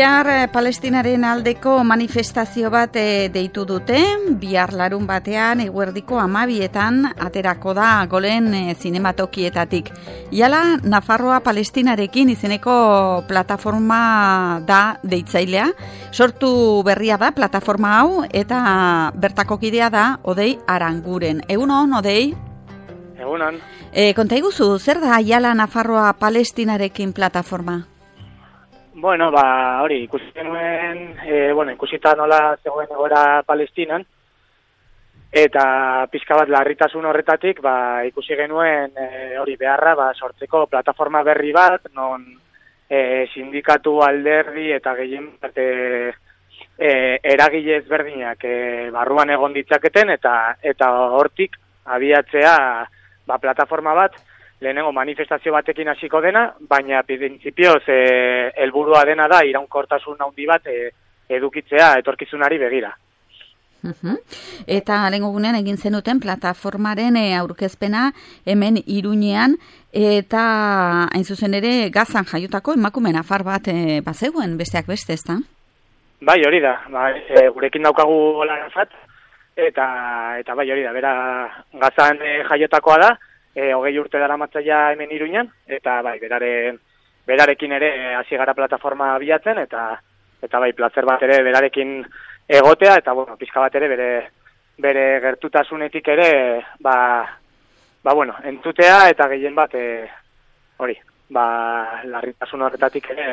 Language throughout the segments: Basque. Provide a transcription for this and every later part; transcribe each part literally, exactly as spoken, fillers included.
Bihar eh, Palestinaren aldeko manifestazio bat eh, deitu dute, bihar larun batean eguerdiko amabietan aterako da Golen eh, zinematokietatik. Iala Nafarroa Palestinarekin izeneko plataforma da deitzailea, sortu berria da plataforma hau eta bertako kidea da Odei Aranguren. Egunon, Odei? Egunon. E, konta iguzu, zer da Iala Nafarroa Palestinarekin plataforma? Bueno, ba, hori, ikusi genuen, e, bueno, ikusita nola zegoen egoera Palestinan, eta pixka bat larritasun horretatik, ba, ikusi genuen e, hori beharra, ba, sortzeko plataforma berri bat, non e, sindikatu alderdi eta gehien bat e, e, eragile ezberdinak e, barruan egon ditzaketen, eta eta hortik abiatzea ba, plataforma bat, lehenengo manifestazio batekin hasiko dena, baina printzipioz e, helburua dena da iraunkortasun handi bat e, edukitzea etorkizunari begira. Uh-huh. Eta lehengo gunean egin zenuten plataformaren e, aurkezpena hemen Iruñean, eta hain zuzen ere Gazan jaiotako emakume nafar bat e, bazegoen besteak beste, ezta? Bai, hori da. Ba, e, gurekin daukagu Larafat, eta eta bai, hori da. Bera Gazan e, jaiotakoa da. E, hogei urte dara matzaia hemen Iruñan, eta bai, beraren, berarekin ere hasi gara plataforma bilatzen, eta eta bai, plazer bat ere berarekin egotea, eta bueno, pixka bat ere bere, bere gertutasunetik ere, ba, ba bueno, entzutea, eta gehien bat, e, hori, ba, larritasun horretatik ere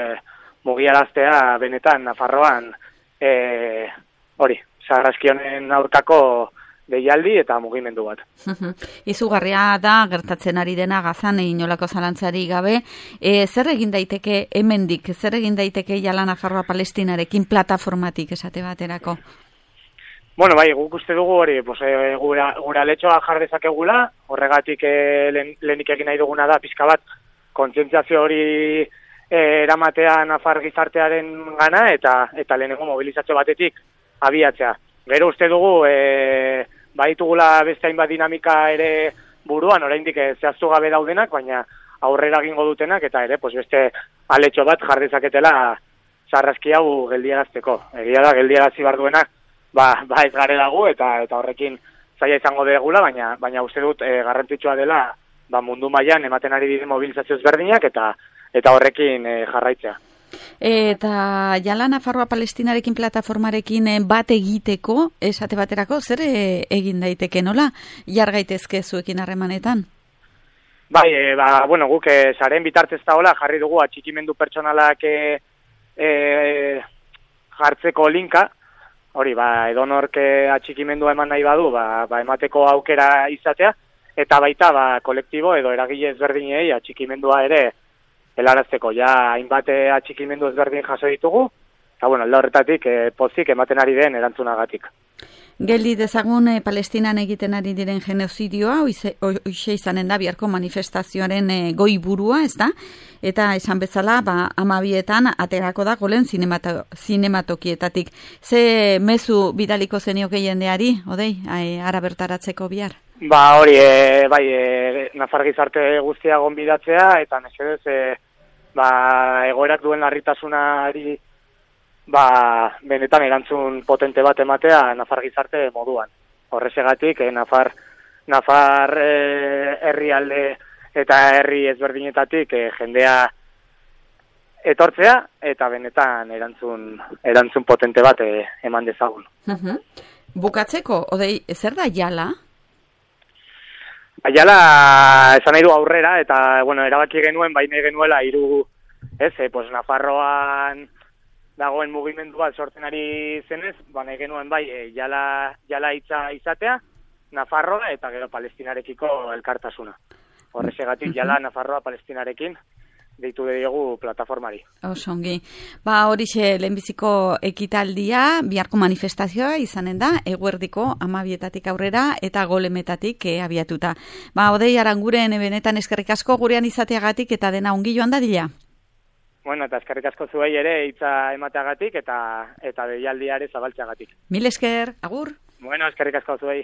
mugiaraztea benetan Nafarroan, e, hori, sarraskionen aurkako deialdi eta mugimendu bat. Izugarria da gertatzen ari dena Gazan inolako zalantzari gabe. E, zer egin daiteke hemendik, zer egin daiteke Iala Nafarroa Palestinarekin plataformatik esate baterako? Bueno, bai, guk uste dugu hori, pues, e, gura, gura letxoa jar dezakegula, horregatik e, lehen, lehenik egin nahi duguna da pixka bat kontzientziazio hori e, eramatea Nafar gizartearen gana eta eta lehenengo mobilizazio batetik abiatzea. Gero uste dugu, e, baitugula beste hainbat dinamika ere buruan, oraindik zehaztu gabe daudenak, baina aurrera egingo dutenak, eta ere, pues beste aletxo bat jardezaketela sarraski hau geldiarazteko. Egia da, geldiarazi bar duenak, ba, ba ez gare dago, eta eta horrekin zaila izango degula, baina baina uste dut e, garrantzitsua dela ba, mundu mailan ematen ari diren mobilizazio ezberdinak, eta eta horrekin e, jarraitzea. Eta Iala Nafarroa Palestinarekin plataformarekin bat egiteko, esate baterako, zer egin daiteke nola? Jar gaitezke zuekin harremanetan? Bai, e, ba, bueno, guk e, saren bitartez da hola, jarri dugu atxikimendu pertsonalak e, e, jartzeko linka, hori, ba, edonork atxikimendua eman nahi badu, ba, ba, emateko aukera izatea, eta baita, ba, kolektibo edo eragile ezberdinei atxikimendua ere helarazteko, ja, hainbat atxikimendu ezberdin jaso ditugu, eta, bueno, alde horretatik e, pozik ematen ari den erantzunagatik. Geldi dezagun e, Palestinan egiten ari diren genozidioa, hoxe izanen da biharko manifestazioaren e, goi burua, ez da? Eta esan bezala, ba, amabietan aterako da Golen zinemato, zinematokietatik. Ze mezu bidaliko zenioke jendeari, Odei, ara bertaratzeko bihar? Ba, hori, e, bai, e, Nafar gizarte guztia gonbidatzea, eta mesedez, e, ba, egoerak duen larritasunari, ba, benetan erantzun potente bat ematea Nafar gizarte moduan. Horrezegatik, e, Nafar, Nafar e, herrialde eta herri ezberdinetatik e, jendea etortzea, eta benetan erantzun, erantzun potente bat e, eman dezagun. Uh-huh. Bukatzeko, Odei, zer da Iala? Aiala esan nahi du aurrera, eta, bueno, erabaki genuen, baina genuela, hiru, ez, e, pues, Nafarroan dagoen mugimendu bat sortzen ari zenez, baina genuen, bai, e, jala, jala hitza izatea, Nafarroa eta gero Palestinarekiko elkartasuna. Horrezegatik, jala Nafarroa Palestinarekin deitu diogu plataformari. Osongi. Ba, horixe lehenbiziko ekitaldia, biharko manifestazioa izanen da, eguerdiko amabietatik aurrera eta golemetatik e, abiatuta. Ba, Odei Aranguren benetan eskerrik asko gurean izateagatik eta dena ongi joan dadila. Bueno, eta eskerrik asko zuei ere hitza emateagatik eta eta deialdia ere zabaltzeagatik. Mil esker, agur. Bueno, eskerrik asko zuei.